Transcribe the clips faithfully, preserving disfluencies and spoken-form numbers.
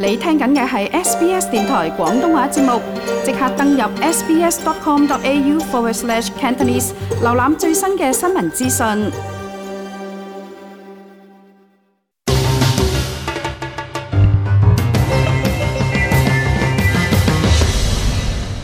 你聽緊嘅係 S B S 電台廣東話節目，即刻登入 sbs.com.au forward slash Cantonese， 瀏覽最新嘅新聞資訊。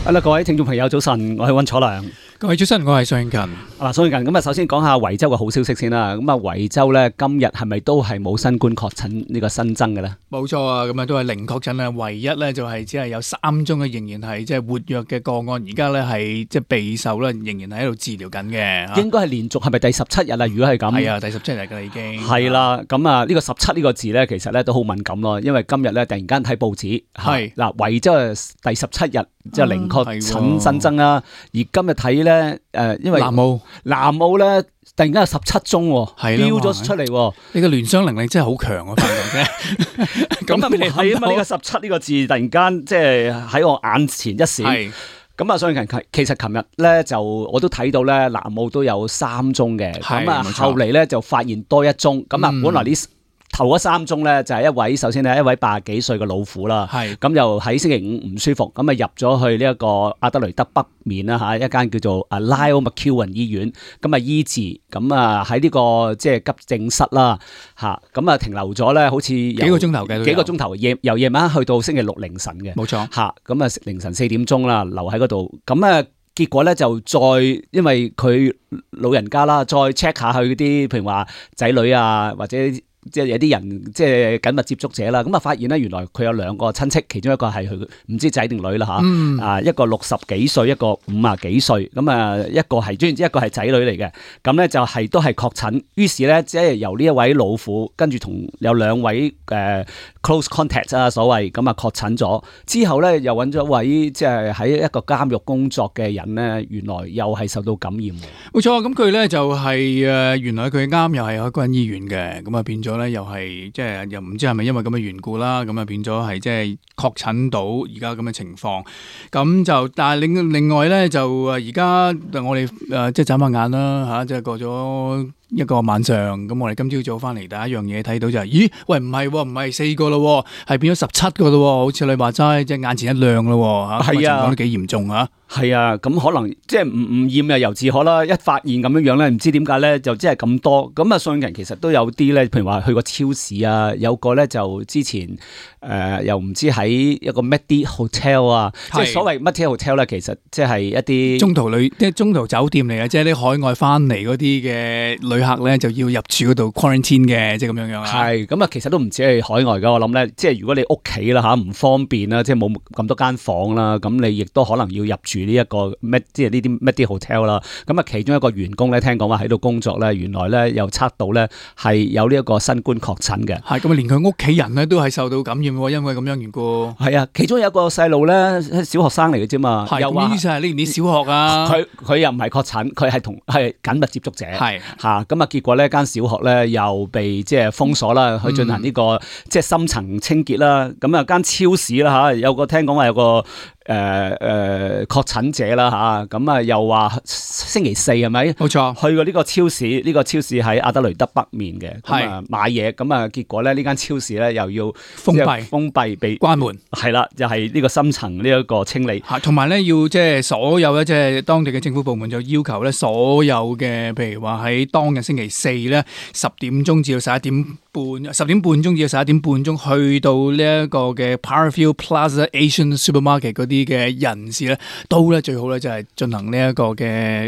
好啦，各位聽眾朋友，早晨，我係溫楚良。各位早晨，我係蘇永勤。嗱，蘇永勤，咁啊，首先講下維州嘅好消息先啦。咁啊，維州咧今日係咪都係冇新冠確診呢個新增嘅咧？冇錯啊，咁啊都係零確診啊，唯一咧就係只係有三宗嘅仍然係即係活躍嘅個案，而家咧係即係備受咧，仍然係喺度治療緊嘅。應該係連續係咪第十七日啊？如果係咁，係啊，第十七日噶啦已經。係啦，咁啊呢個十七呢個字咧，其實咧都好敏感咯，因為今日咧突然間睇報紙，係嗱維州係第十七日即係零確診新增啦，而今日睇咧誒，因為南澳南澳咧突然間有十七宗，飆咗出嚟，你個聯想能力真係好強啊！發覺啫，咁啊你睇啊嘛，呢個十七呢個字突然間即係喺我眼前一閃。咁啊，所以其實琴日咧就我都睇到咧，南澳都有三宗嘅，咁啊後嚟咧就發現多一宗，咁啊、嗯、本來呢頭嗰三宗咧就係一位，首先係一位八十幾歲嘅老婦啦，咁又喺星期五唔舒服，咁啊入咗去呢一個阿德雷德北面啦嚇，一間叫做啊 Lyle McEwen 醫院，咁啊醫治，咁啊喺呢個即係急症室啦嚇，咁啊停留咗咧，好似幾個鐘頭嘅，幾個鐘頭夜由夜晚去到星期六凌晨嘅，冇錯嚇，咁啊凌晨四點鐘啦，留喺嗰度，咁啊結果咧就再因為佢老人家啦，再 check 下佢啲譬如話仔女啊或者。即係有啲人即係緊密接觸者啦，咁啊發現咧原來佢有兩個親戚，其中一個係佢唔知仔定女啦吓，啊、嗯、一個六十幾歲，一個五啊幾歲，咁啊一個係，總言之一個係仔女嚟嘅，咁咧就係都係確診，於是咧即係由呢一位老婦跟住同有兩位誒、呃、close contact 啊所謂，咁啊確診咗之後咧又揾咗一位即係喺一個監獄工作嘅人咧，原來又係受到感染。冇錯，咁佢咧就係、是、誒原來佢啱又係喺嗰間醫院嘅，咁啊變咗。咧又係即係又唔知係咪因為咁嘅緣故啦，咁啊變咗係即係確診到而家咁嘅情況，咁就但係另另外咧就誒而家我哋誒即係眨下眼啦吓，即係過咗一個晚上，咁我哋今朝早翻嚟第一樣嘢睇到就係、是，咦喂唔係唔係四個咯，係變咗十七個咯，好似你話齋即係眼前一亮咯吓，係啊，情況都幾嚴重啊。係啊，咁可能即係唔唔驗啊，由自可啦。一發現咁樣樣咧，唔知點解咧，就即係咁多。咁啊，信人其實都有啲咧，譬如話去過超市啊，有個咧就之前誒、呃、又唔知喺一個 Medi Hotel 啊，即係所謂 Medi Hotel 咧，其實即係一啲中途旅即係中途酒店嚟嘅，即係啲海外翻嚟嗰啲嘅旅客咧就要入住嗰度 quarantine 嘅，即係咁樣樣啊。係咁啊，其實都唔止係海外噶，我諗咧，即係如果你屋企啦吓唔方便啦，即係冇咁多間房啦，咁你亦都可能要入住。呢一個咩即係呢啲 Medi Hotel 啦，咁啊其中一個員工咧，聽講話喺度工作咧，原來咧又測到咧係有呢一個新冠確診嘅，係咁啊，連佢屋企人咧都係受到感染喎，因為咁樣緣故。係啊，其中有一個細路咧，小學生嚟嘅啫嘛，又話呢啲係呢年小學啊，佢佢又唔係確診，佢係同係緊密接觸者，係嚇咁啊，結果呢間小學咧又被即係封鎖啦，去進行呢、這個、嗯、即係深層清潔啦，咁啊間超市啦嚇，有個聽講話有個。誒、呃、誒、呃、確診者啦吓，咁啊又話星期四係咪？冇錯，去過呢個超市，呢、這個超市喺阿德雷德北面嘅，咁啊買嘢，咁啊結果咧呢間超市咧又要封閉，封閉被關門，係啦，就係、是、呢個深層呢一個清理，同埋咧要即係所有咧即係當地嘅政府部門就要求咧所有嘅，譬如話喺當日星期四咧十點鐘至到十一點半，十點半鐘至到十一點半鐘去到呢一個嘅 Parafield Plaza Asian Supermarket 嗰啲嘅人士咧，都咧最好咧就係進行呢一個嘅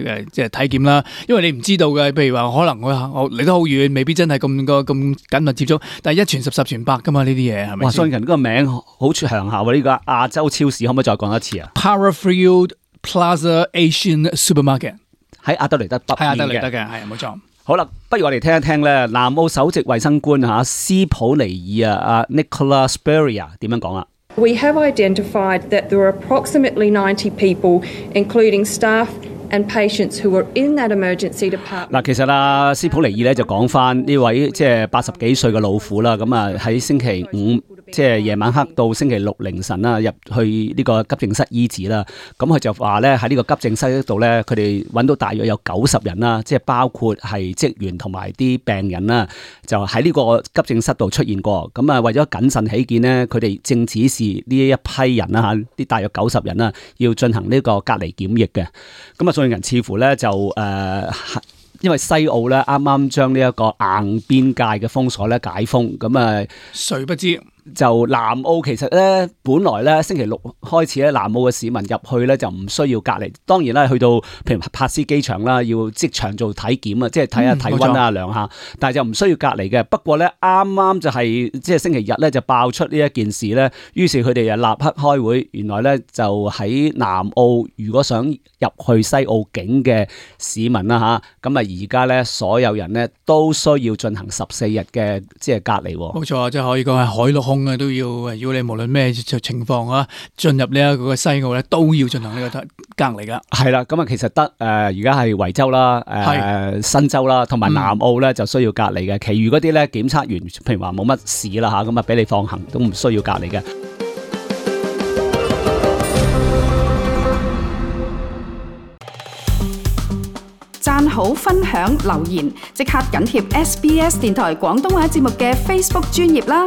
誒即係體檢啦，因為你唔知道嘅，譬如話可能我我離得好遠，未必真係咁個咁緊密接觸，但係一傳十十傳百噶嘛呢啲嘢係咪？哇！信人呢個名好長下喎，呢個亞洲超市可唔可以再講一次啊 ？Parafield Plaza Asian Supermarket 喺阿德雷德北面嘅，喺阿德雷德嘅，係冇錯。好啦，不如我哋聽一聽咧，南澳首席衛生官吓斯普尼爾啊，阿 Nicola Spurrier 點樣講啊？ We have identified that there are approximately ninety people, including staff and patients who were in that emergency department. 嗱，其實啊，斯普尼爾咧就講翻呢位即係八十幾歲嘅老婦啦，咁啊喺星期五即係夜晚黑到星期六凌晨啦，入去呢個急症室醫治啦。咁佢就話咧喺呢個急症室度咧，佢哋揾到大約有九十人啦，即係包括係職員同埋啲病人啦，就喺呢個急症室度出現過。咁啊，為咗謹慎起見呢，佢哋正指示呢一批人啦嚇，啲大約九十人啦，要進行呢個隔離檢疫嘅。咁啊，所有人似乎咧就誒。呃因為西澳咧啱啱將呢一個硬邊界嘅封鎖咧解封，咁啊，誰不知就南澳其實咧本來咧星期六開始咧南澳嘅市民入去咧就唔需要隔離，當然啦去到譬如柏斯機場啦，要即場做體檢啊，即係睇下體溫啊量下，但係就唔需要隔離嘅。不過咧啱啱就係即係星期日咧就爆出呢一件事咧，於是佢哋就立刻開會，原來咧就喺南澳如果想入去西澳境嘅市民啦吓，咁啊而家咧所有人咧都需要進行十四日嘅即係隔離。冇錯，即係可以講係海陸空啊都要，如果你無論咩情況啊，進入呢一個西澳咧都要進行呢個隔離噶。係啦，咁啊其實得誒而家係維州啦、誒、呃、新州啦同埋南澳咧就需要隔離嘅，其餘嗰啲咧檢測完，譬如話冇乜事啦吓，咁啊俾你放行都唔需要隔離嘅。讚好、分享、留言，即刻緊貼 S B S 電台廣東話節目嘅 Facebook 專頁啦！